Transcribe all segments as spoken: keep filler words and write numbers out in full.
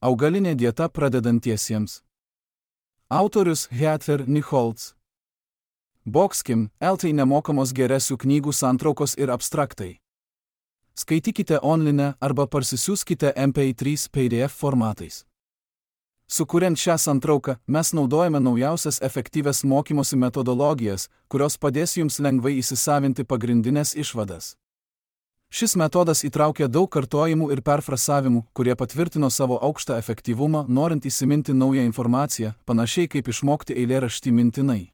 Augalinė dieta pradedantiesiems. Autorius Heather Nichols. Boxkim, L T nemokamos geresių knygų santraukos ir abstraktai. Skaitykite online arba parsisiųskite M P trys P D F formatais. Sukuriant šią santrauką, mes naudojame naujausias efektyvias mokymosi metodologijas, kurios padės jums lengvai įsisavinti pagrindinės išvadas. Šis metodas įtraukia daug kartojimų ir perfrasavimų, kurie patvirtino savo aukštą efektyvumą, norint įsiminti naują informaciją, panašiai kaip išmokti eilėraštį mintinai.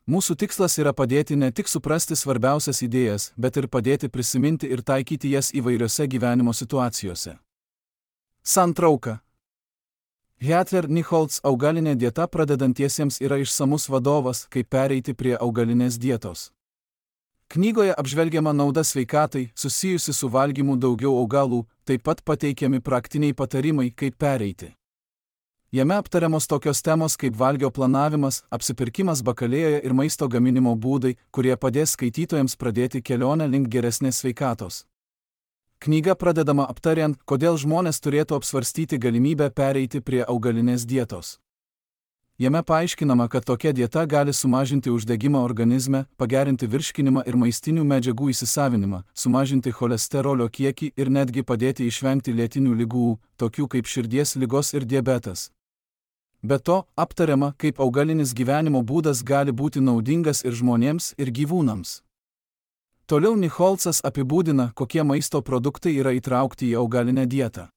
Mūsų tikslas yra padėti ne tik suprasti svarbiausias idėjas, bet ir padėti prisiminti ir taikyti jas įvairiose gyvenimo situacijose. Santrauka. Heather Nichols augalinė dieta pradedantiesiems yra išsamus vadovas, kaip pereiti prie augalinės dietos. Knygoje apžvelgiama nauda sveikatai, susijusi su valgymu daugiau augalų, taip pat pateikiami praktiniai patarimai, kaip pereiti. Jame aptariamos tokios temos kaip valgio planavimas, apsipirkimas bakalėjoje ir maisto gaminimo būdai, kurie padės skaitytojams pradėti kelionę link geresnės sveikatos. Knyga pradedama aptariant, kodėl žmonės turėtų apsvarstyti galimybę pereiti prie augalinės dietos. Jame paaiškinama, kad tokia dieta gali sumažinti uždegimą organizme, pagerinti virškinimą ir maistinių medžiagų įsisavinimą, sumažinti cholesterolio kiekį ir netgi padėti išvengti lėtinių ligų, tokių kaip širdies ligos ir diabetas. Be to, aptariama, kaip augalinis gyvenimo būdas gali būti naudingas ir žmonėms, ir gyvūnams. Toliau Nicholsas apibūdina, kokie maisto produktai yra įtraukti į augalinę dietą.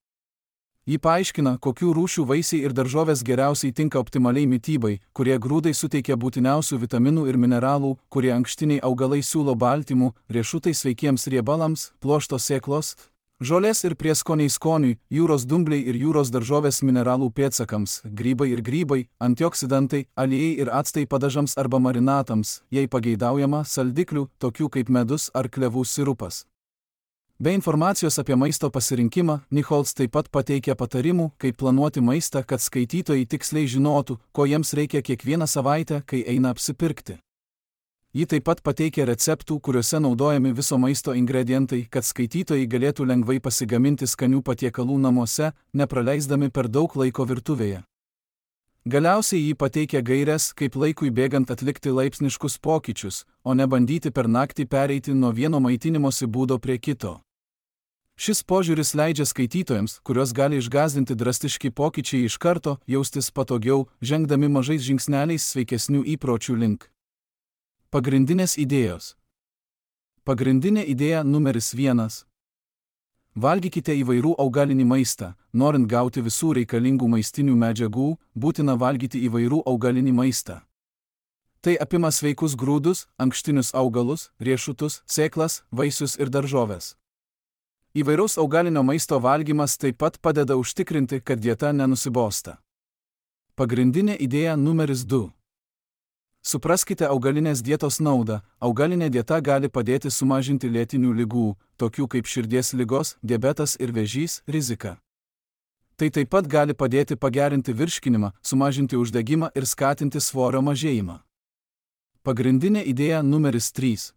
Ji paaiškina, kokių rūšių vaisiai ir daržovės geriausiai tinka optimaliai mitybai, kurie grūdai suteikia būtiniausių vitaminų ir mineralų, kurie ankštiniai augalai siūlo baltymų, riešutai sveikiems riebalams, pluošto sėklos, žolės ir prieskoniai skoniui, jūros dumbliai ir jūros daržovės mineralų pėdsakams, grybai ir grybai, antioksidantai, aliejai ir actai padažams arba marinatams, jei pageidaujama, saldiklių, tokių kaip medus ar klevų sirupas. Be informacijos apie maisto pasirinkimą, Nichols taip pat pateikia patarimų, kaip planuoti maistą, kad skaitytojai tiksliai žinotų, ko jiems reikia kiekvieną savaitę, kai eina apsipirkti. Ji taip pat pateikia receptų, kuriuose naudojami viso maisto ingredientai, kad skaitytojai galėtų lengvai pasigaminti skanių patiekalų namuose, nepraleisdami per daug laiko virtuvėje. Galiausiai ji pateikia gaires, kaip laikui bėgant atlikti laipsniškus pokyčius, o ne bandyti per naktį pereiti nuo vieno maitinimosi būdo prie kito. Šis požiūris leidžia skaitytojams, kuriuos gali išgąsdinti drastiški pokyčiai iš karto, jaustis patogiau, žengdami mažais žingsneliais sveikesnių įpročių link. Pagrindinės idėjos. Pagrindinė idėja numeris vienas. Valgykite įvairių augalinį maistą. Norint gauti visų reikalingų maistinių medžiagų, būtina valgyti įvairių augalinį maistą. Tai apima sveikus grūdus, ankštinius augalus, riešutus, sėklas, vaisius ir daržoves. Įvairaus augalinio maisto valgymas taip pat padeda užtikrinti, kad dieta nenusibosta. Pagrindinė idėja numeris du. Supraskite augalinės dietos naudą. Augalinė dieta gali padėti sumažinti lėtinių ligų, tokių kaip širdies ligos, diabetas ir vėžys, riziką. Tai taip pat gali padėti pagerinti virškinimą, sumažinti uždegimą ir skatinti svorio mažėjimą. Pagrindinė idėja numeris trys.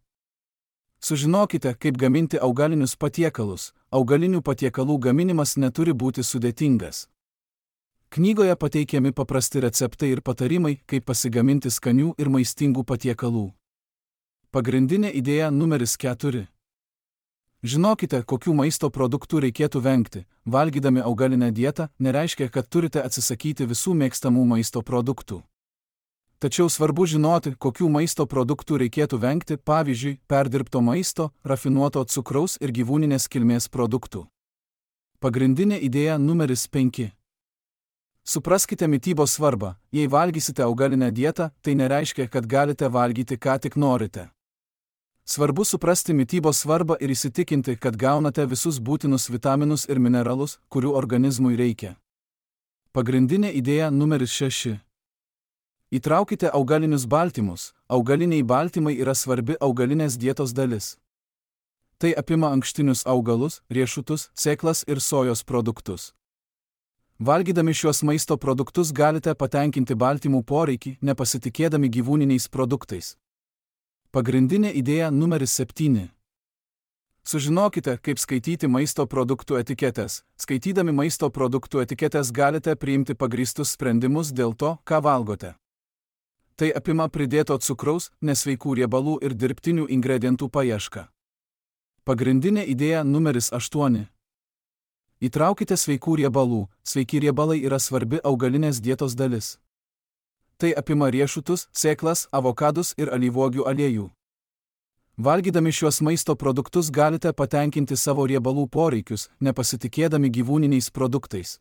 Sužinokite, kaip gaminti augalinius patiekalus. Augalinių patiekalų gaminimas neturi būti sudėtingas. Knygoje pateikiami paprasti receptai ir patarimai, kaip pasigaminti skanių ir maistingų patiekalų. Pagrindinė idėja numeris keturi. Žinokite, kokių maisto produktų reikėtų vengti. Valgydami augalinę dietą nereiškia, kad turite atsisakyti visų mėgstamų maisto produktų. Tačiau svarbu žinoti, kokių maisto produktų reikėtų vengti, pavyzdžiui, perdirbto maisto, rafinuoto cukraus ir gyvūninės kilmės produktų. Pagrindinė idėja numeris penki. Supraskite mitybos svarbą. Jei valgysite augalinę dietą, tai nereiškia, kad galite valgyti ką tik norite. Svarbu suprasti mitybos svarbą ir įsitikinti, kad gaunate visus būtinus vitaminus ir mineralus, kurių organizmui reikia. Pagrindinė idėja numeris šeši. Įtraukite augalinius baltymus. Augaliniai baltymai yra svarbi augalinės dietos dalis. Tai apima ankštinius augalus, riešutus, sėklas ir sojos produktus. Valgydami šiuos maisto produktus galite patenkinti baltymų poreikį, nepasitikėdami gyvūniniais produktais. Pagrindinė idėja numeris septyni. Sužinokite, kaip skaityti maisto produktų etiketės. Skaitydami maisto produktų etiketės galite priimti pagrįstus sprendimus dėl to, ką valgote. Tai apima pridėto cukraus, nesveikų riebalų ir dirbtinių ingredientų paiešką. Pagrindinė idėja numeris aštuoni. Įtraukite sveikų riebalų. Sveiki riebalai yra svarbi augalinės dietos dalis. Tai apima riešutus, sėklas, avokadus ir alyvuogių aliejų. Valgydami šiuos maisto produktus galite patenkinti savo riebalų poreikius, nepasitikėdami gyvūniniais produktais.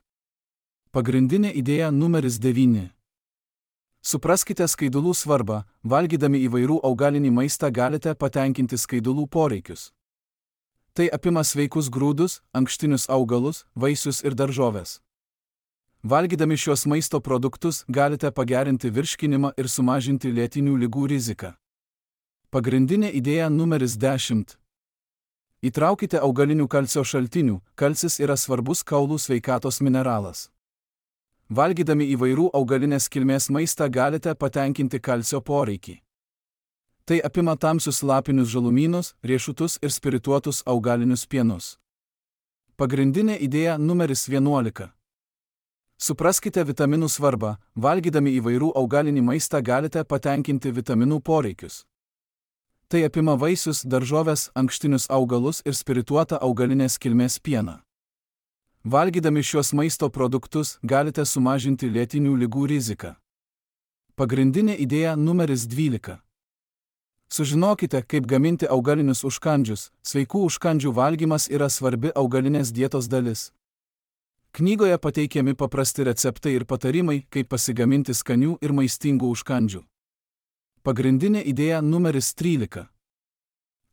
Pagrindinė idėja numeris devyni. Supraskite skaidulų svarbą. Valgydami įvairių augalinį maistą galite patenkinti skaidulų poreikius. Tai apima sveikus grūdus, ankštinius augalus, vaisius ir daržoves. Valgydami šios maisto produktus galite pagerinti virškinimą ir sumažinti lėtinių ligų riziką. Pagrindinė idėja numeris dešimt. Įtraukite augalinių kalcio šaltinių. Kalcis yra svarbus kaulų sveikatos mineralas. Valgydami įvairių augalinės kilmės maistą galite patenkinti kalcio poreikį. Tai apima tamsius lapinius žalumynus, riešutus ir spirituotus augalinius pienus. Pagrindinė idėja numeris vienuolika. Supraskite vitaminų svarbą. Valgydami įvairių augalinį maistą galite patenkinti vitaminų poreikius. Tai apima vaisius, daržoves, ankštinius augalus ir spirituotą augalinės kilmės pieną. Valgydami šios maisto produktus galite sumažinti lėtinių ligų riziką. Pagrindinė idėja numeris dvylika. Sužinokite, kaip gaminti augalinius užkandžius. Sveikų užkandžių valgymas yra svarbi augalinės dietos dalis. Knygoje pateikiami paprasti receptai ir patarimai, kaip pasigaminti skanių ir maistingų užkandžių. Pagrindinė idėja numeris trylika.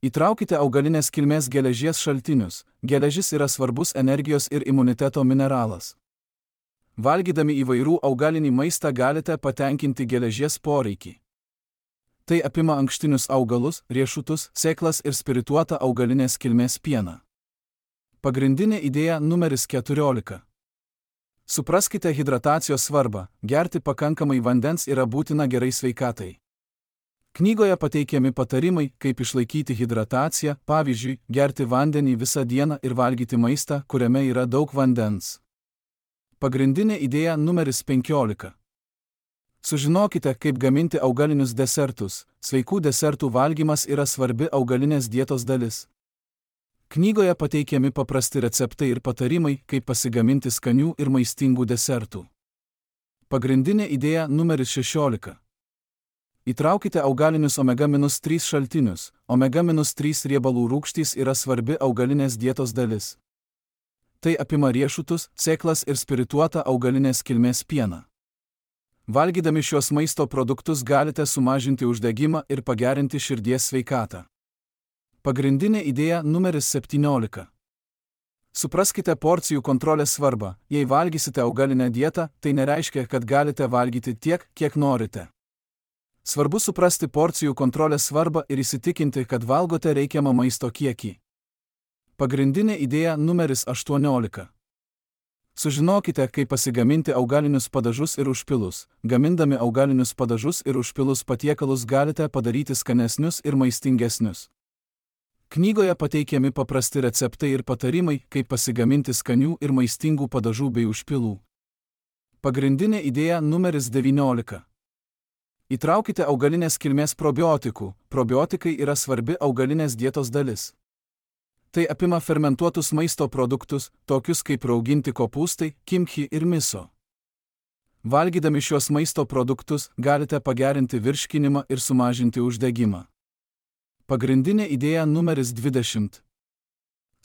Įtraukite augalinės kilmės geležies šaltinius. Geležis yra svarbus energijos ir imuniteto mineralas. Valgydami įvairių augalinį maistą galite patenkinti geležies poreikį. Tai apima ankštinius augalus, riešutus, sėklas ir spirituotą augalinės kilmės pieną. Pagrindinė idėja numeris keturiolika. Supraskite hidratacijos svarbą. Gerti pakankamai vandens yra būtina gerai sveikatai. Knygoje pateikiami patarimai, kaip išlaikyti hidrataciją, pavyzdžiui, gerti vandenį visą dieną ir valgyti maistą, kuriame yra daug vandens. Pagrindinė idėja numeris penkiolika. Sužinokite, kaip gaminti augalinius desertus. Sveikų desertų valgymas yra svarbi augalinės dietos dalis. Knygoje pateikiami paprasti receptai ir patarimai, kaip pasigaminti skanių ir maistingų desertų. Pagrindinė idėja numeris šešiolika. Įtraukite augalinius omega trys šaltinius. omega trys riebalų rūgštys yra svarbi augalinės dietos dalis. Tai apima riešutus, sėklas ir spirituotą augalinės kilmės pieną. Valgydami šios maisto produktus galite sumažinti uždegimą ir pagerinti širdies sveikatą. Pagrindinė idėja numeris septyniolika. Supraskite porcijų kontrolės svarbą. Jei valgysite augalinę dietą, tai nereiškia, kad galite valgyti tiek, kiek norite. Svarbu suprasti porcijų kontrolės svarbą ir įsitikinti, kad valgote reikiamą maisto kiekį. Pagrindinė idėja numeris aštuoniolika. Sužinokite, kaip pasigaminti augalinius padažus ir užpilus. Gamindami augalinius padažus ir užpilus patiekalus galite padaryti skanesnius ir maistingesnius. Knygoje pateikiami paprasti receptai ir patarimai, kaip pasigaminti skanių ir maistingų padažų bei užpilų. Pagrindinė idėja numeris devyniolika. Įtraukite augalinės kilmės probiotikų. Probiotikai yra svarbi augalinės dietos dalis. Tai apima fermentuotus maisto produktus, tokius kaip rauginti kopūstai, kimchi ir miso. Valgydami šios maisto produktus galite pagerinti virškinimą ir sumažinti uždegimą. Pagrindinė idėja numeris dvidešimt.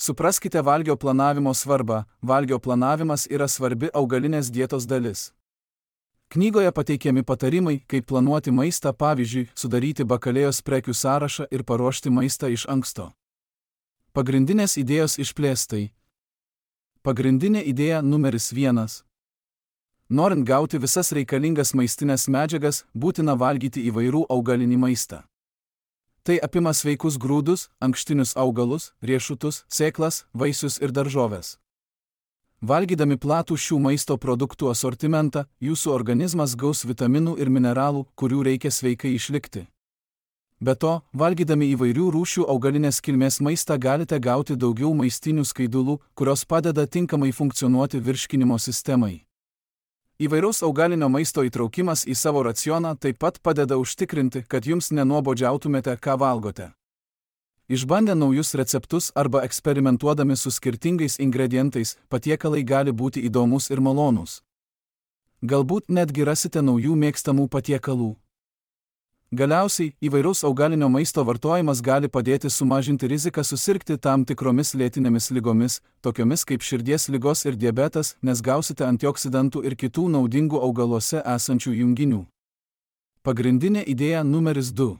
Supraskite valgio planavimo svarbą. Valgio planavimas yra svarbi augalinės dietos dalis. Knygoje pateikiami patarimai, kaip planuoti maistą, pavyzdžiui, sudaryti bakalėjos prekių sąrašą ir paruošti maistą iš anksto. Pagrindinės idėjos išplėstai. Pagrindinė idėja numeris vienas. Norint gauti visas reikalingas maistinės medžiagas, būtina valgyti įvairių augalinį maistą. Tai apima sveikus grūdus, ankštinius augalus, riešutus, sėklas, vaisius ir daržoves. Valgydami platų šių maisto produktų asortimentą, jūsų organizmas gaus vitaminų ir mineralų, kurių reikia sveikai išlikti. Be to, valgydami įvairių rūšių augalinės kilmės maistą galite gauti daugiau maistinių skaidulų, kurios padeda tinkamai funkcionuoti virškinimo sistemai. Įvairaus augalinio maisto įtraukimas į savo racioną taip pat padeda užtikrinti, kad jums nenuobodžiautumėte, ką valgote. Išbandę naujus receptus arba eksperimentuodami su skirtingais ingredientais, patiekalai gali būti įdomus ir malonūs. Galbūt netgi rasite naujų mėgstamų patiekalų. Galiausiai, įvairaus augalinio maisto vartojimas gali padėti sumažinti riziką susirgti tam tikromis lėtinėmis ligomis, tokiomis kaip širdies ligos ir diabetas, nes gausite antioksidantų ir kitų naudingų augaluose esančių junginių. Pagrindinė idėja numeris du.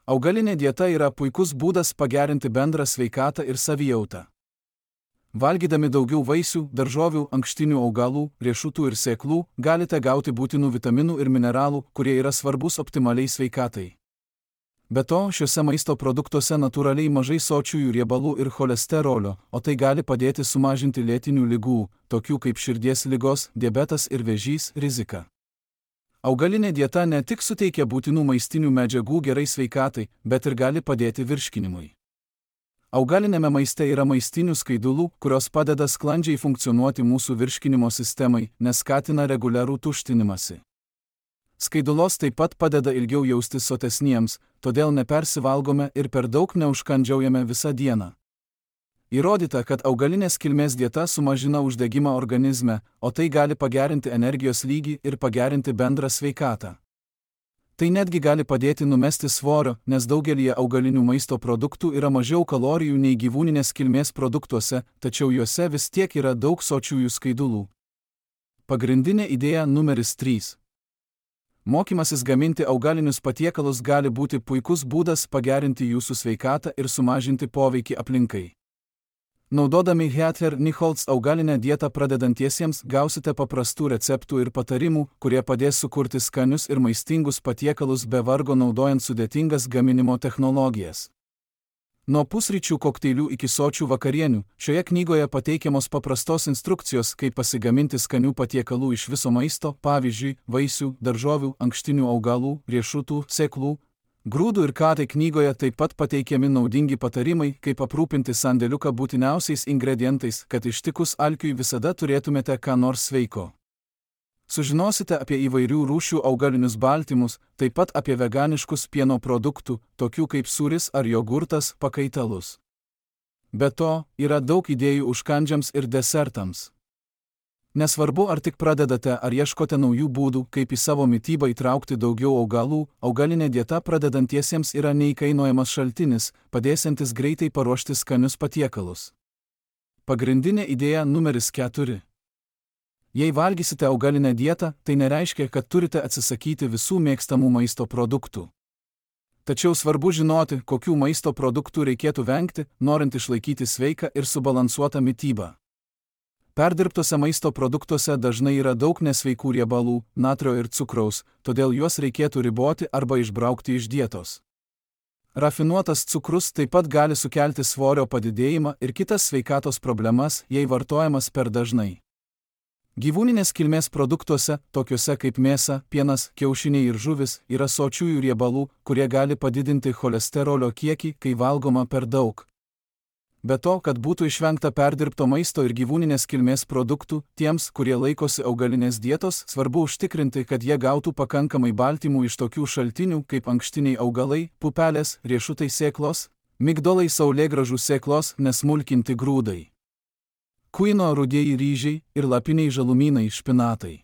Augalinė dieta yra puikus būdas pagerinti bendrą sveikatą ir savijautą. Valgydami daugiau vaisių, daržovių, ankštinių augalų, riešutų ir sėklų, galite gauti būtinų vitaminų ir mineralų, kurie yra svarbus optimaliai sveikatai. Be to, šiuose maisto produktuose natūraliai mažai sočiųjų riebalų ir cholesterolio, o tai gali padėti sumažinti lėtinių ligų, tokių kaip širdies ligos, diabetas ir vėžys, riziką. Augalinė dieta ne tik suteikia būtinų maistinių medžiagų gerai sveikatai, bet ir gali padėti virškinimui. Augalinėme maiste yra maistinių skaidulų, kurios padeda sklandžiai funkcionuoti mūsų virškinimo sistemai, nes skatina reguliarų tuštinimąsi. Skaidulos taip pat padeda ilgiau jaustis sotesniems, todėl nepersivalgome ir per daug neužkandžiaujame visą dieną. Įrodyta, kad augalinės kilmės dieta sumažina uždegimą organizme, o tai gali pagerinti energijos lygį ir pagerinti bendrą sveikatą. Tai netgi gali padėti numesti svorio, nes daugelį augalinių maisto produktų yra mažiau kalorijų nei gyvūninės kilmės produktuose, tačiau juose vis tiek yra daug sočiųjų skaidulų. Pagrindinė idėja numeris trys. Mokymasis gaminti augalinius patiekalus gali būti puikus būdas pagerinti jūsų sveikatą ir sumažinti poveikį aplinkai. Naudodami Heather-Nichols augalinę dietą pradedantiesiems gausite paprastų receptų ir patarimų, kurie padės sukurti skanius ir maistingus patiekalus be vargo naudojant sudėtingas gaminimo technologijas. Nuo pusryčių kokteilių iki sočių vakarienių, šioje knygoje pateikiamos paprastos instrukcijos, kaip pasigaminti skanių patiekalų iš viso maisto, pavyzdžiui, vaisių, daržovių, ankštinių augalų, riešutų, sėklų, grūdų ir ką tai knygoje taip pat pateikiami naudingi patarimai, kaip aprūpinti sandėliuką būtiniausiais ingredientais, kad ištikus alkiui visada turėtumėte ką nors sveiko. Sužinosite apie įvairių rūšių augalinius baltymus, taip pat apie veganiškus pieno produktų, tokių kaip sūris ar jogurtas, pakaitalus. Be to, yra daug idėjų užkandžiams ir desertams. Nesvarbu, ar tik pradedate ar ieškote naujų būdų, kaip į savo mitybą įtraukti daugiau augalų, augalinė dieta pradedantiesiems yra neįkainojamas šaltinis, padėsiantis greitai paruošti skanius patiekalus. Pagrindinė idėja numeris keturi. Jei valgysite augalinę dietą, tai nereiškia, kad turite atsisakyti visų mėgstamų maisto produktų. Tačiau svarbu žinoti, kokių maisto produktų reikėtų vengti, norint išlaikyti sveiką ir subalansuotą mitybą. Perdirbtose maisto produktuose dažnai yra daug nesveikų riebalų, natrio ir cukraus, todėl juos reikėtų riboti arba išbraukti iš dietos. Rafinuotas cukrus taip pat gali sukelti svorio padidėjimą ir kitas sveikatos problemas, jei vartojamas per dažnai. Gyvūninės kilmės produktuose, tokiuose kaip mėsa, pienas, kiaušiniai ir žuvis, yra sočiųjų riebalų, kurie gali padidinti cholesterolio kiekį, kai valgoma per daug. Be to, kad būtų išvengta perdirbto maisto ir gyvūninės kilmės produktų, tiems, kurie laikosi augalinės dietos, svarbu užtikrinti, kad jie gautų pakankamai baltymų iš tokių šaltinių kaip ankštiniai augalai, pupelės, riešutai sėklos, migdolai saulėgrąžų sėklos, nesmulkinti grūdai, kuino rudieji ryžiai ir lapiniai žalumynai špinatai.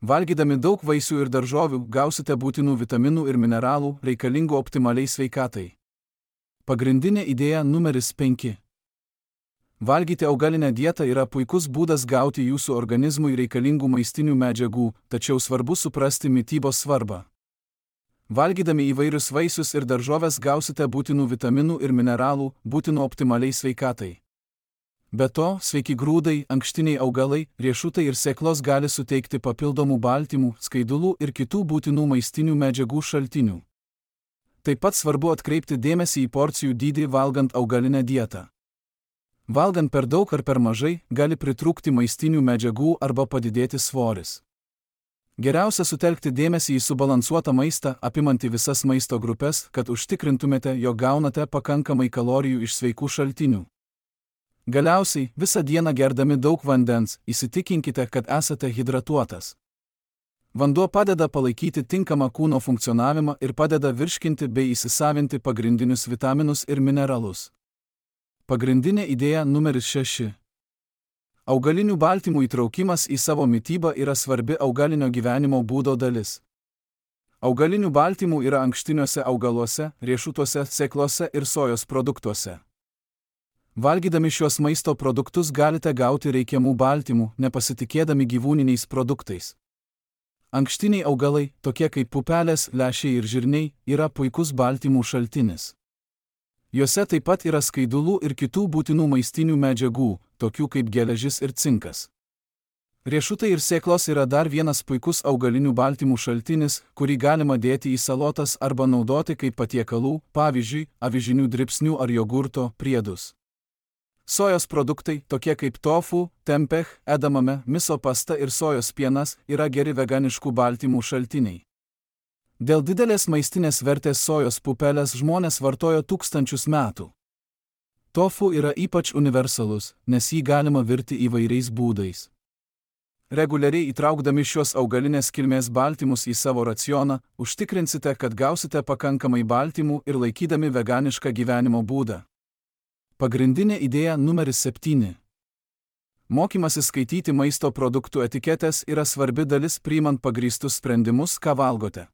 Valgydami daug vaisių ir daržovių gausite būtinų vitaminų ir mineralų, reikalingų optimaliai sveikatai. Pagrindinė idėja numeris penki. Valgyti augalinę dietą yra puikus būdas gauti jūsų organizmui reikalingų maistinių medžiagų, tačiau svarbu suprasti mitybos svarbą. Valgydami įvairius vaisius ir daržoves gausite būtinų vitaminų ir mineralų, būtinų optimaliai sveikatai. Be to, sveiki grūdai, ankštiniai augalai, riešutai ir sėklos gali suteikti papildomų baltymų, skaidulų ir kitų būtinų maistinių medžiagų šaltinių. Taip pat svarbu atkreipti dėmesį į porcijų dydį valgant augalinę dietą. Valgant per daug ar per mažai, gali pritrūkti maistinių medžiagų arba padidėti svoris. Geriausia sutelkti dėmesį į subalansuotą maistą, apimantį visas maisto grupės, kad užtikrintumėte, jog gaunate pakankamai kalorijų iš sveikų šaltinių. Galiausiai, visą dieną gerdami daug vandens, įsitikinkite, kad esate hidratuotas. Vanduo padeda palaikyti tinkamą kūno funkcionavimą ir padeda virškinti bei įsisavinti pagrindinius vitaminus ir mineralus. Pagrindinė idėja numeris šeši. Augalinių baltymų įtraukimas į savo mitybą yra svarbi augalinio gyvenimo būdo dalis. Augalinių baltymų yra ankštiniuose augaluose, riešutuose, sėklose ir sojos produktuose. Valgydami šiuos maisto produktus galite gauti reikiamų baltymų, nepasitikėdami gyvūniniais produktais. Ankštiniai augalai, tokie kaip pupelės, lęšiai ir žirniai, yra puikus baltymų šaltinis. Juose taip pat yra skaidulų ir kitų būtinų maistinių medžiagų, tokių kaip geležis ir cinkas. Riešutai ir sėklos yra dar vienas puikus augalinių baltymų šaltinis, kurį galima dėti į salotas arba naudoti kaip patiekalų, pavyzdžiui, avižinių dribsnių ar jogurto priedus. Sojos produktai, tokie kaip tofu, tempeh, edamame, miso pasta ir sojos pienas, yra geri veganiškų baltymų šaltiniai. Dėl didelės maistinės vertės sojos pupelės žmonės vartojo tūkstančius metų. Tofu yra ypač universalus, nes jį galima virti įvairiais būdais. Reguliariai įtraukdami šios augalinės kilmės baltymus į savo racioną, užtikrinsite, kad gausite pakankamai baltymų ir laikydami veganišką gyvenimo būdą. Pagrindinė idėja numeris septyni. Mokymasis skaityti maisto produktų etiketės yra svarbi dalis priimant pagrįstus sprendimus, ką valgote.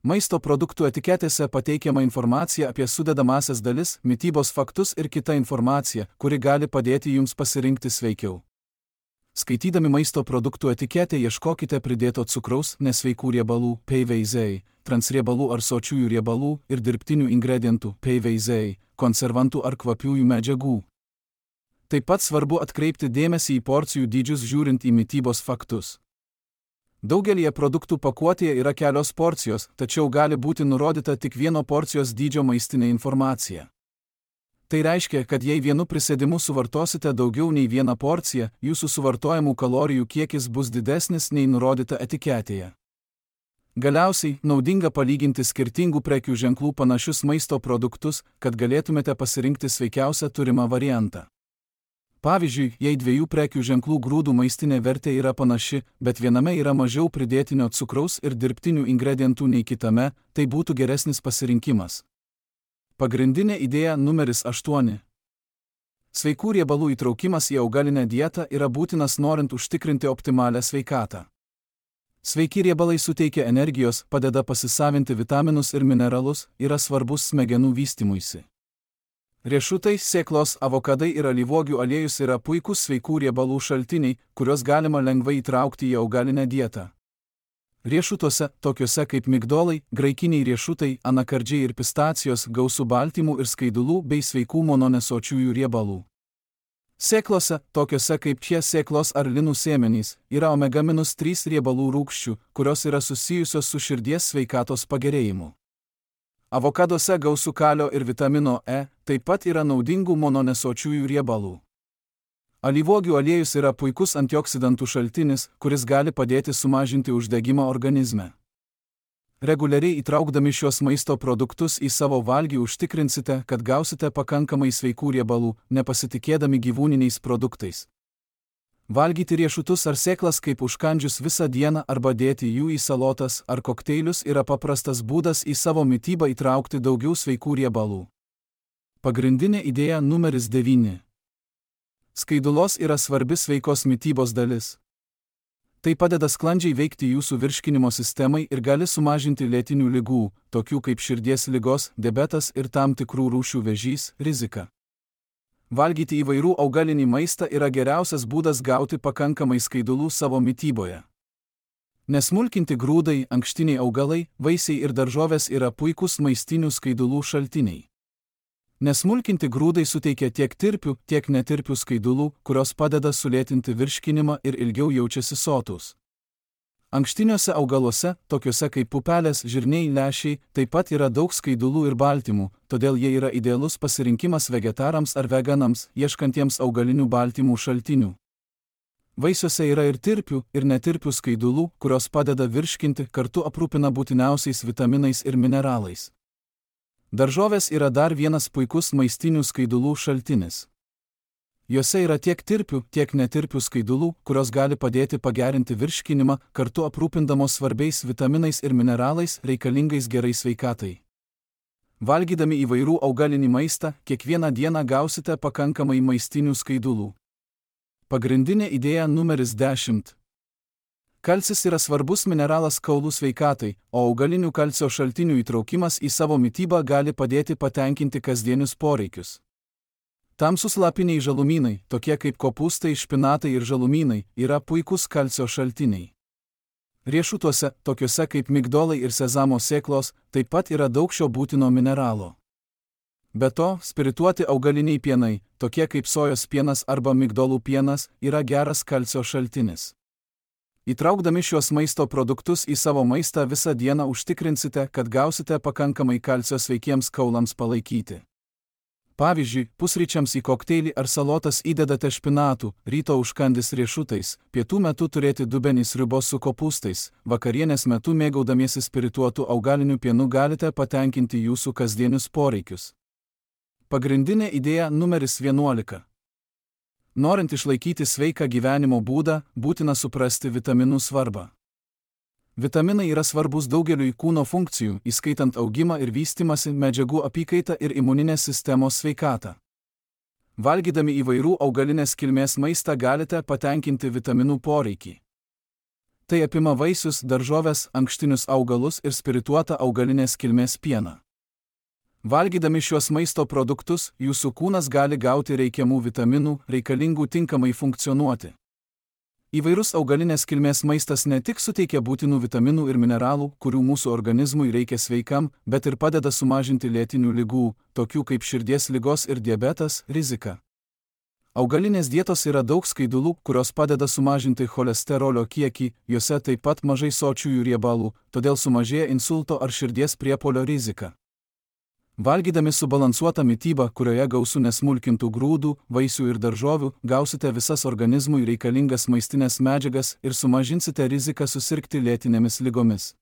Maisto produktų etiketėse pateikiama informacija apie sudedamąsias dalis, mitybos faktus ir kita informacija, kuri gali padėti jums pasirinkti sveikiau. Skaitydami maisto produktų etiketę ieškokite pridėto cukraus, nesveikų riebalų, P V Z, transriebalų ar sočiųjų riebalų ir dirbtinių ingredientų, P V Z, konservantų ar kvapiųjų medžiagų. Taip pat svarbu atkreipti dėmesį į porcijų dydžius žiūrint į mitybos faktus. Daugelį produktų pakuotėje yra kelios porcijos, tačiau gali būti nurodyta tik vieno porcijos dydžio maistinė informacija. Tai reiškia, kad jei vienu prisėdimu suvartosite daugiau nei vieną porciją, jūsų suvartojamų kalorijų kiekis bus didesnis nei nurodyta etiketėje. Galiausiai, naudinga palyginti skirtingų prekių ženklų panašius maisto produktus, kad galėtumėte pasirinkti sveikiausią turimą variantą. Pavyzdžiui, jei dviejų prekių ženklų grūdų maistinė vertė yra panaši, bet viename yra mažiau pridėtinio cukraus ir dirbtinių ingredientų nei kitame, tai būtų geresnis pasirinkimas. Pagrindinė idėja numeris aštuoni. Sveikų riebalų įtraukimas į augalinę dietą yra būtinas norint užtikrinti optimalią sveikatą. Sveiki riebalai suteikia energijos, padeda pasisavinti vitaminus ir mineralus, yra svarbus smegenų vystymuisi. Riešutai, sėklos, avokadai ir alyvuogių aliejus yra puikūs sveikų riebalų šaltiniai, kuriuos galima lengvai įtraukti į augalinę dietą. Riešutuose, tokiuose kaip migdolai, graikiniai riešutai, anakardžiai ir pistacijos, gausu baltymų ir skaidulų bei sveikų mononesočiųjų riebalų. Sėklose, tokiuose kaip šie sėklos ar linų sėmenys, yra omega trys riebalų rūgščių, kurios yra susijusios su širdies sveikatos pagerėjimu. Avokaduose gausu kalio ir vitamino E, taip pat yra naudingų mononesočiųjų riebalų. Alyvuogių aliejus yra puikus antioksidantų šaltinis, kuris gali padėti sumažinti uždegimą organizme. Reguliariai įtraukdami šios maisto produktus į savo valgį užtikrinsite, kad gausite pakankamai sveikų riebalų, nepasitikėdami gyvūniniais produktais. Valgyti riešutus ar sėklas kaip užkandžius visą dieną arba dėti jų į salotas ar kokteilius yra paprastas būdas į savo mitybą įtraukti daugiau sveikų riebalų. Pagrindinė idėja numeris devyni. Skaidulos yra svarbi sveikos mitybos dalis. Tai padeda sklandžiai veikti jūsų virškinimo sistemai ir gali sumažinti lėtinių ligų, tokių kaip širdies ligos, diabetas ir tam tikrų rūšių vėžys, riziką. Valgyti įvairių augalinį maistą yra geriausias būdas gauti pakankamai skaidulų savo mityboje. Nesmulkinti grūdai, ankštiniai augalai, vaisiai ir daržovės yra puikūs maistinių skaidulų šaltiniai. Nesmulkinti grūdai suteikia tiek tirpių, tiek netirpių skaidulų, kurios padeda sulėtinti virškinimą ir ilgiau jaučiasi sotūs. Ankštiniuose augaluose, tokiuose kaip pupelės, žirniai, lęšiai, taip pat yra daug skaidulų ir baltymų, todėl jie yra idealus pasirinkimas vegetarams ar veganams, ieškantiems augalinių baltymų šaltinių. Vaisiuose yra ir tirpių, ir netirpių skaidulų, kurios padeda virškinti, kartu aprūpina būtiniausiais vitaminais ir mineralais. Daržovės yra dar vienas puikus maistinių skaidulų šaltinis. Jose yra tiek tirpių, tiek netirpių skaidulų, kurios gali padėti pagerinti virškinimą, kartu aprūpindamos svarbiais vitaminais ir mineralais reikalingais gerai sveikatai. Valgydami įvairių augalinį maistą, kiekvieną dieną gausite pakankamai maistinių skaidulų. Pagrindinė idėja numeris dešimt. Kalcis yra svarbus mineralas kaulų sveikatai, o augalinių kalcio šaltinių įtraukimas į savo mitybą gali padėti patenkinti kasdienius poreikius. Tamsūs lapiniai žalumynai, tokie kaip kopūstai, špinatai ir žalumynai, yra puikūs kalcio šaltiniai. Riešutuose, tokiuose kaip migdolai ir sezamo sėklos, taip pat yra daug šio būtino mineralo. Be to, spirituoti augaliniai pienai, tokie kaip sojos pienas arba migdolų pienas, yra geras kalcio šaltinis. Įtraukdami šiuos maisto produktus į savo maistą visą dieną užtikrinsite, kad gausite pakankamai kalcio sveikiems kaulams palaikyti. Pavyzdžiui, pusryčiams į kokteilį ar salotas įdedate špinatų, ryto užkandis riešutais, pietų metu turėti dubenį sriubos su kopūstais, vakarienės metu mėgaudamiesi spirituotų augalinių pienų galite patenkinti jūsų kasdienius poreikius. Pagrindinė idėja numeris vienuolika. Norint išlaikyti sveiką gyvenimo būdą, būtina suprasti vitaminų svarbą. Vitaminai yra svarbus daugeliui kūno funkcijų, įskaitant augimą ir vystymąsi, medžiagų apykaitą ir imuninės sistemos sveikatą. Valgydami įvairių augalinės kilmės maistą galite patenkinti vitaminų poreikį. Tai apima vaisius, daržoves, ankštinius augalus ir spirituotą augalinės kilmės pieną. Valgydami šiuos maisto produktus, jūsų kūnas gali gauti reikiamų vitaminų, reikalingų tinkamai funkcionuoti. Įvairus augalinės kilmės maistas ne tik suteikia būtinų vitaminų ir mineralų, kurių mūsų organizmui reikia sveikam, bet ir padeda sumažinti lėtinių ligų, tokių kaip širdies ligos ir diabetas, riziką. Augalinės dietos yra daug skaidulų, kurios padeda sumažinti cholesterolio kiekį, juose taip pat mažai sočiųjų riebalų, todėl sumažėja insulto ar širdies priepuolio rizika. Valgydami subalansuotą mitybą, kurioje gausu nesmulkintų grūdų, vaisių ir daržovių, gausite visas organizmui reikalingas maistinės medžiagas ir sumažinsite riziką susirgti lėtinėmis ligomis.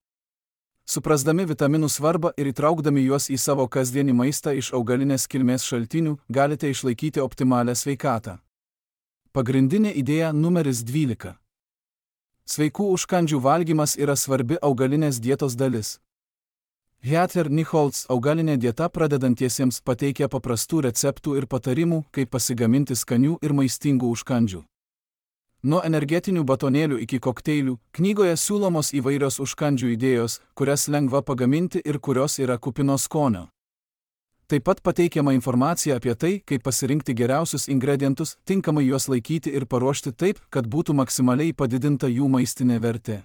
Suprasdami vitaminų svarbą ir įtraukdami juos į savo kasdienį maistą iš augalinės kilmės šaltinių, galite išlaikyti optimalią sveikatą. Pagrindinė idėja numeris dvylika. Sveikų užkandžių valgymas yra svarbi augalinės dietos dalis. Heather Nichols augalinė dieta pradedantiesiems pateikia paprastų receptų ir patarimų, kaip pasigaminti skanių ir maistingų užkandžių. Nuo energetinių batonėlių iki kokteilių, knygoje siūlomos įvairios užkandžių idėjos, kurias lengva pagaminti ir kurios yra kupinos skonio. Taip pat pateikiama informacija apie tai, kaip pasirinkti geriausius ingredientus, tinkamai juos laikyti ir paruošti taip, kad būtų maksimaliai padidinta jų maistinė vertė.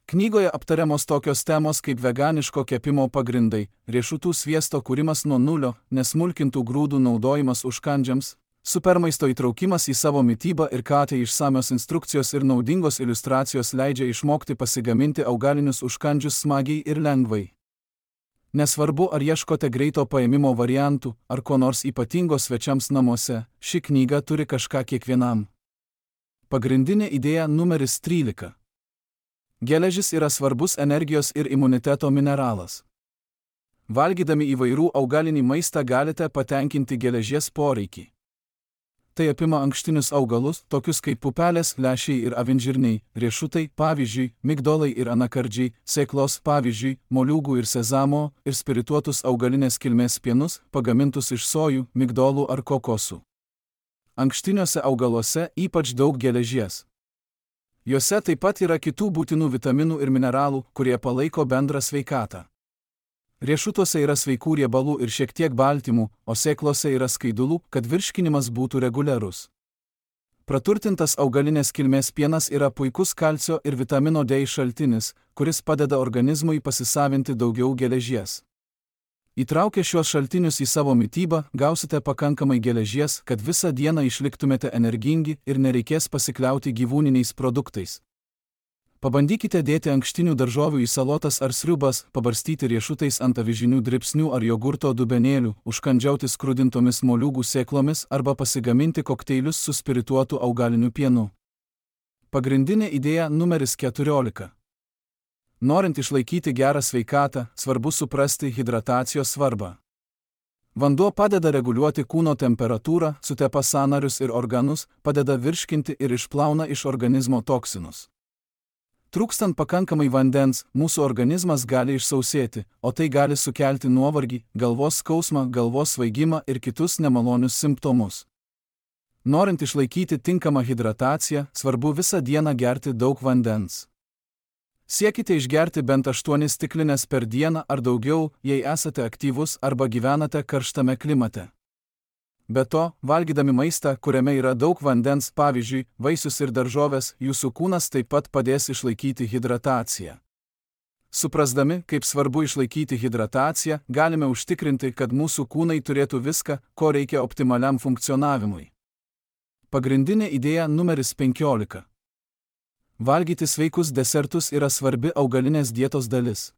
Knygoje aptariamos tokios temos kaip veganiško kepimo pagrindai, riešutų sviesto kūrimas nuo nulio, nesmulkintų grūdų naudojimas užkandžiams, supermaisto įtraukimas į savo mitybą ir ką tai išsamios instrukcijos ir naudingos iliustracijos leidžia išmokti pasigaminti augalinius užkandžius smagiai ir lengvai. Nesvarbu, ar ieškote greito paėmimo variantų, ar ko nors ypatingo svečiams namuose, ši knyga turi kažką kiekvienam. Pagrindinė idėja numeris trylika. Geležis yra svarbus energijos ir imuniteto mineralas. Valgydami įvairių augalinį maistą galite patenkinti geležies poreikį. Tai apima ankštinius augalus, tokius kaip pupelės, lęšiai ir avinžirniai, riešutai, pavyzdžiui, migdolai ir anakardžiai, sėklos, pavyzdžiui, moliūgų ir sezamo, ir spirituotus augalinės kilmės pienus, pagamintus iš sojų, migdolų ar kokosų. Ankštiniuose augaluose ypač daug geležies. Juose taip pat yra kitų būtinų vitaminų ir mineralų, kurie palaiko bendrą sveikatą. Riešutuose yra sveikų riebalų ir šiek tiek baltymų, o sėklose yra skaidulų, kad virškinimas būtų reguliarus. Praturtintas augalinės kilmės pienas yra puikus kalcio ir vitamino D šaltinis, kuris padeda organizmui pasisavinti daugiau geležies. Įtraukę šiuos šaltinius į savo mitybą, gausite pakankamai geležies, kad visą dieną išliktumėte energingi ir nereikės pasikliauti gyvūniniais produktais. Pabandykite dėti ankštinių daržovių į salotas ar sriubas, pabarstyti riešutais ant avižinių dribsnių ar jogurto dubenėlių, užkandžiauti skrudintomis moliūgų sėklomis arba pasigaminti kokteilius su spirituotu augaliniu pienu. Pagrindinė idėja numeris keturiolika. Norint išlaikyti gerą sveikatą, svarbu suprasti hidratacijos svarbą. Vanduo padeda reguliuoti kūno temperatūrą, sutepa sąnarius ir organus, padeda virškinti ir išplauna iš organizmo toksinus. Trūkstant pakankamai vandens, mūsų organizmas gali išsausėti, o tai gali sukelti nuovargį, galvos skausmą, galvos svaigimą ir kitus nemalonius simptomus. Norint išlaikyti tinkamą hidrataciją, svarbu visą dieną gerti daug vandens. Siekite išgerti bent aštuonias stiklines per dieną ar daugiau, jei esate aktyvus arba gyvenate karštame klimate. Be to, valgydami maistą, kuriame yra daug vandens, pavyzdžiui, vaisius ir daržoves, jūsų kūnas taip pat padės išlaikyti hidrataciją. Suprasdami, kaip svarbu išlaikyti hidrataciją, galime užtikrinti, kad mūsų kūnai turėtų viską, ko reikia optimaliam funkcionavimui. Pagrindinė idėja numeris penkiolika. Valgyti sveikus desertus yra svarbi augalinės dietos dalis.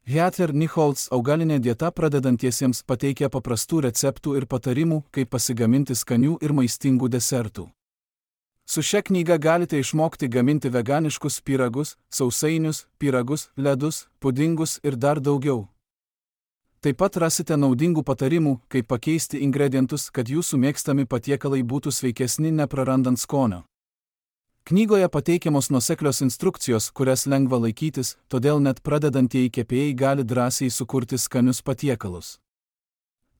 Heather Nichols augalinė dieta pradedantiesiems pateikia paprastų receptų ir patarimų, kaip pasigaminti skanių ir maistingų desertų. Su šia knyga galite išmokti gaminti veganiškus pyragus, sausainius, pyragus, ledus, pudingus ir dar daugiau. Taip pat rasite naudingų patarimų, kaip pakeisti ingredientus, kad jūsų mėgstami patiekalai būtų sveikesni neprarandant skonio. Knygoje pateikiamos nuoseklios instrukcijos, kurias lengva laikytis, todėl net pradedantieji kepėjai gali drąsiai sukurti skanius patiekalus.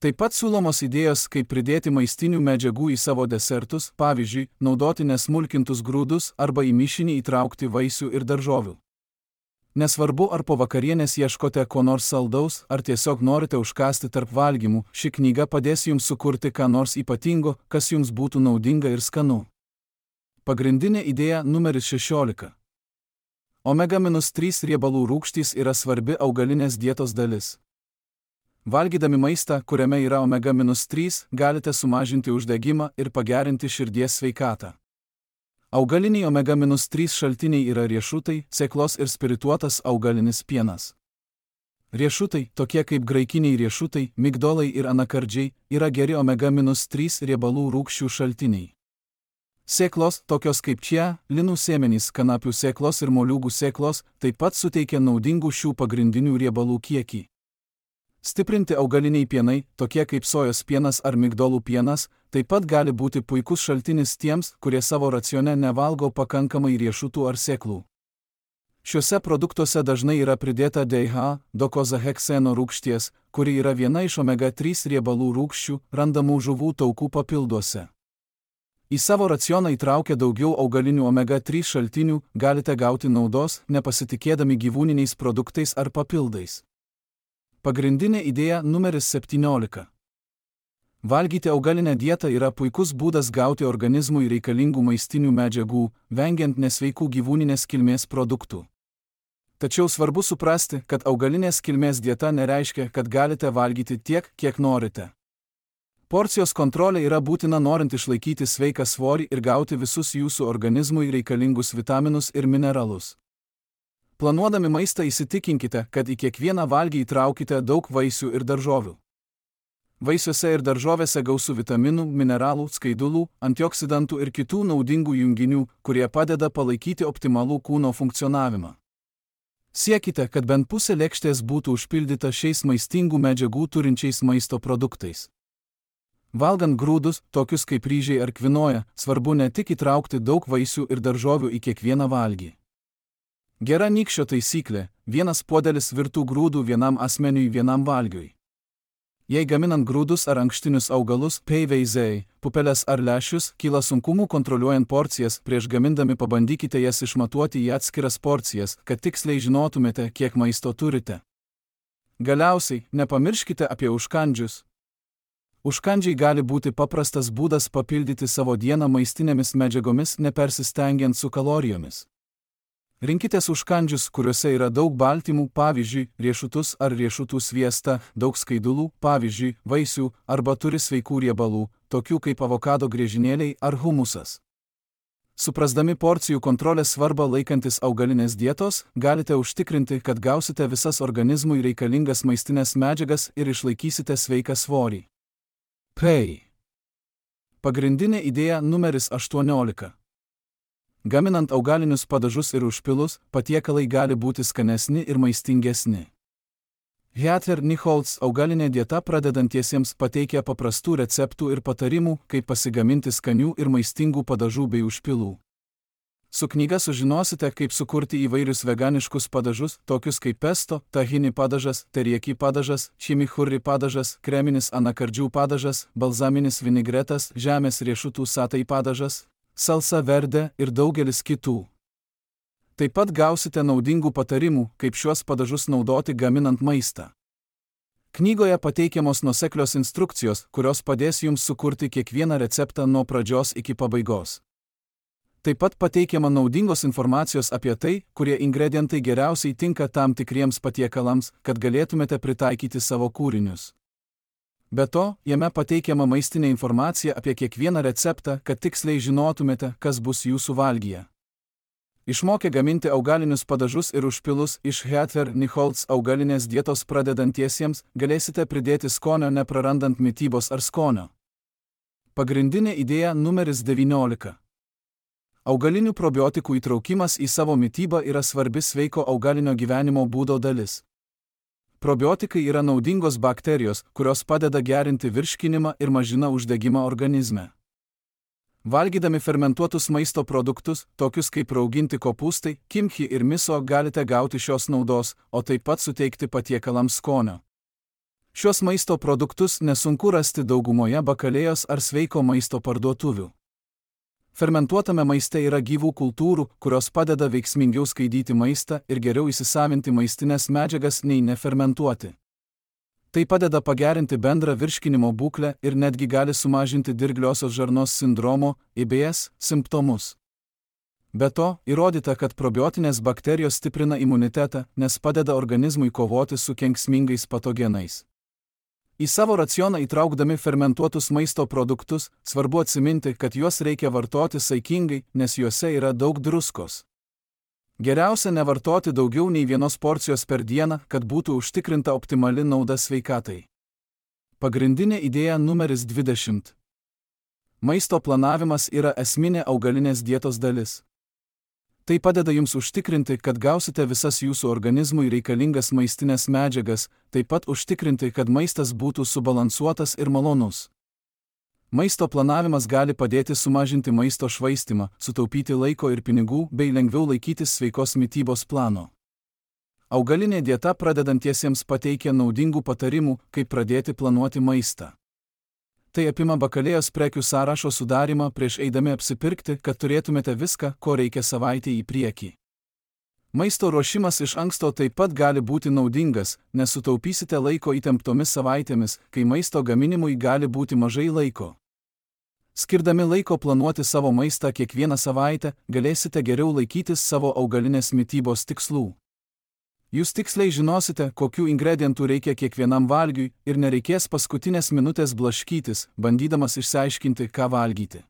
Taip pat siūlomos idėjos, kaip pridėti maistinių medžiagų į savo desertus, pavyzdžiui, naudoti nesmulkintus grūdus arba į mišinį įtraukti vaisių ir daržovių. Nesvarbu, ar po vakarienės ieškote ko nors saldaus, ar tiesiog norite užkąsti tarp valgymų, ši knyga padės jums sukurti ką nors ypatingo, kas jums būtų naudinga ir skanu. Pagrindinė idėja numeris šešiolika. omega trys riebalų rūgštys yra svarbi augalinės dietos dalis. Valgydami maistą, kuriame yra omega trys, galite sumažinti uždegimą ir pagerinti širdies sveikatą. Augaliniai omega trys šaltiniai yra riešutai, sėklos ir spirituotas augalinis pienas. Riešutai, tokie kaip graikiniai riešutai, migdolai ir anakardžiai, yra geri omega trys riebalų rūgščių šaltiniai. Sėklos, tokios kaip čia, linų sėmenys, kanapių sėklos ir moliūgų sėklos, taip pat suteikia naudingų šių pagrindinių riebalų kiekį. Stiprinti augaliniai pienai, tokie kaip sojos pienas ar migdolų pienas, taip pat gali būti puikus šaltinis tiems, kurie savo racione nevalgo pakankamai riešutų ar sėklų. Šiuose produktuose dažnai yra pridėta D H A, dokozahekseno rūgšties, kuri yra viena iš omega trys riebalų rūgščių, randamų žuvų taukų papilduose. Į savo racioną įtraukę daugiau augalinių omega trys šaltinių, galite gauti naudos, nepasitikėdami gyvūniniais produktais ar papildais. Pagrindinė idėja numeris septyniolika. Valgyti augalinę dietą yra puikus būdas gauti organizmui reikalingų maistinių medžiagų, vengiant nesveikų gyvūninės kilmės produktų. Tačiau svarbu suprasti, kad augalinės kilmės dieta nereiškia, kad galite valgyti tiek, kiek norite. Porcijos kontrolė yra būtina norint išlaikyti sveiką svorį ir gauti visus jūsų organizmui reikalingus vitaminus ir mineralus. Planuodami maistą įsitikinkite, kad į kiekvieną valgį įtraukite daug vaisių ir daržovių. Vaisiuose ir daržovėse gausu vitaminų, mineralų, skaidulų, antioksidantų ir kitų naudingų junginių, kurie padeda palaikyti optimalų kūno funkcionavimą. Siekite, kad bent pusė lėkštės būtų užpildyta šiais maistingų medžiagų turinčiais maisto produktais. Valgant grūdus, tokius kaip ryžiai ar kvinoja, svarbu ne tik įtraukti daug vaisių ir daržovių į kiekvieną valgį. Gera nykščio taisyklė – vienas puodelis virtų grūdų vienam asmeniui vienam valgiui. Jei gaminant grūdus ar ankštinius augalus, peiveizei, pupeles ar lęšius, kyla sunkumų kontroliuojant porcijas, prieš gamindami pabandykite jas išmatuoti į atskiras porcijas, kad tiksliai žinotumėte, kiek maisto turite. Galiausiai, nepamirškite apie užkandžius. Užkandžiai gali būti paprastas būdas papildyti savo dieną maistinėmis medžiagomis, nepersistengiant su kalorijomis. Rinkitės užkandžius, kuriuose yra daug baltymų, pavyzdžiui, riešutus ar riešutų sviestą, daug skaidulų, pavyzdžiui, vaisių, arba turi sveikų riebalų, tokių kaip avokado griežinėliai ar humusas. Suprasdami porcijų kontrolės svarbą laikantis augalinės dietos, galite užtikrinti, kad gausite visas organizmui reikalingas maistinės medžiagas ir išlaikysite sveiką svorį. Pei. Pagrindinė idėja numeris aštuoniolika. Gaminant augalinius padažus ir užpilus, patiekalai gali būti skanesni ir maistingesni. Heather Nichols augalinė dieta pradedantiesiems pateikia paprastų receptų ir patarimų, kaip pasigaminti skanių ir maistingų padažų bei užpilų. Su knyga sužinosite, kaip sukurti įvairius veganiškus padažus, tokius kaip pesto, tahini padažas, teriaki padažas, chimichurri padažas, kreminis anakardžių padažas, balzaminis vinigretas, žemės riešutų satai padažas, salsa verde ir daugelis kitų. Taip pat gausite naudingų patarimų, kaip šiuos padažus naudoti gaminant maistą. Knygoje pateikiamos nuoseklios instrukcijos, kurios padės jums sukurti kiekvieną receptą nuo pradžios iki pabaigos. Taip pat pateikiama naudingos informacijos apie tai, kurie ingredientai geriausiai tinka tam tikriems patiekalams, kad galėtumėte pritaikyti savo kūrinius. Be to, jame pateikiama maistinė informacija apie kiekvieną receptą, kad tiksliai žinotumėte, kas bus jūsų valgyje. Išmokę gaminti augalinius padažus ir užpilus iš Heather Nichols augalinės dietos pradedantiesiems, galėsite pridėti skonio neprarandant mitybos ar skonio. Pagrindinė idėja numeris devyniolika. Augalinių probiotikų įtraukimas į savo mitybą yra svarbi sveiko augalinio gyvenimo būdo dalis. Probiotikai yra naudingos bakterijos, kurios padeda gerinti virškinimą ir mažina uždegimą organizme. Valgydami fermentuotus maisto produktus, tokius kaip rauginti kopūstai, kimchi ir miso, galite gauti šios naudos, o taip pat suteikti patiekalams skonio. Šios maisto produktus nesunku rasti daugumoje bakalėjos ar sveiko maisto parduotuvių. Fermentuotame maiste yra gyvų kultūrų, kurios padeda veiksmingiau skaidyti maistą ir geriau įsisavinti maistinės medžiagas nei nefermentuoti. Tai padeda pagerinti bendrą virškinimo būklę ir netgi gali sumažinti dirgliosios žarnos sindromo I B S simptomus. Be to, įrodyta, kad probiotinės bakterijos stiprina imunitetą, nes padeda organizmui kovoti su kenksmingais patogenais. Į savo racioną įtraukdami fermentuotus maisto produktus, svarbu atsiminti, kad juos reikia vartoti saikingai, nes juose yra daug druskos. Geriausia nevartoti daugiau nei vienos porcijos per dieną, kad būtų užtikrinta optimali nauda sveikatai. Pagrindinė idėja numeris dvidešimt. Maisto planavimas yra esminė augalinės dietos dalis. Tai padeda jums užtikrinti, kad gausite visas jūsų organizmui reikalingas maistinės medžiagas, taip pat užtikrinti, kad maistas būtų subalansuotas ir malonus. Maisto planavimas gali padėti sumažinti maisto švaistymą, sutaupyti laiko ir pinigų bei lengviau laikytis sveikos mitybos plano. Augalinė dieta pradedantiesiems pateikia naudingų patarimų, kaip pradėti planuoti maistą. Tai apima bakalėjos prekių sąrašo sudarimą prieš eidami apsipirkti, kad turėtumėte viską, ko reikia savaitę į priekį. Maisto ruošimas iš anksto taip pat gali būti naudingas, nes sutaupysite laiko įtemptomis savaitėmis, kai maisto gaminimui gali būti mažai laiko. Skirdami laiko planuoti savo maistą kiekvieną savaitę, galėsite geriau laikytis savo augalinės mitybos tikslų. Jūs tiksliai žinosite, kokių ingredientų reikia kiekvienam valgiui ir nereikės paskutinės minutės blaškytis, bandydamas išsiaiškinti, ką valgyti.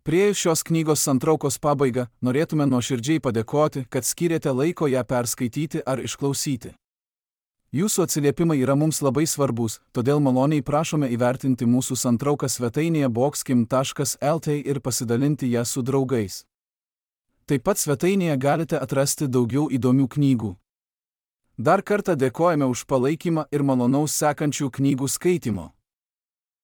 Priėjus šios knygos santraukos pabaigą, norėtume nuoširdžiai padėkoti, kad skyrėte laiko ją perskaityti ar išklausyti. Jūsų atsiliepimai yra mums labai svarbus, todėl maloniai prašome įvertinti mūsų santrauką svetainėje boxkim taškas el t ir pasidalinti ją su draugais. Taip pat svetainėje galite atrasti daugiau įdomių knygų. Dar kartą dėkojame už palaikymą ir malonaus sekančių knygų skaitimo.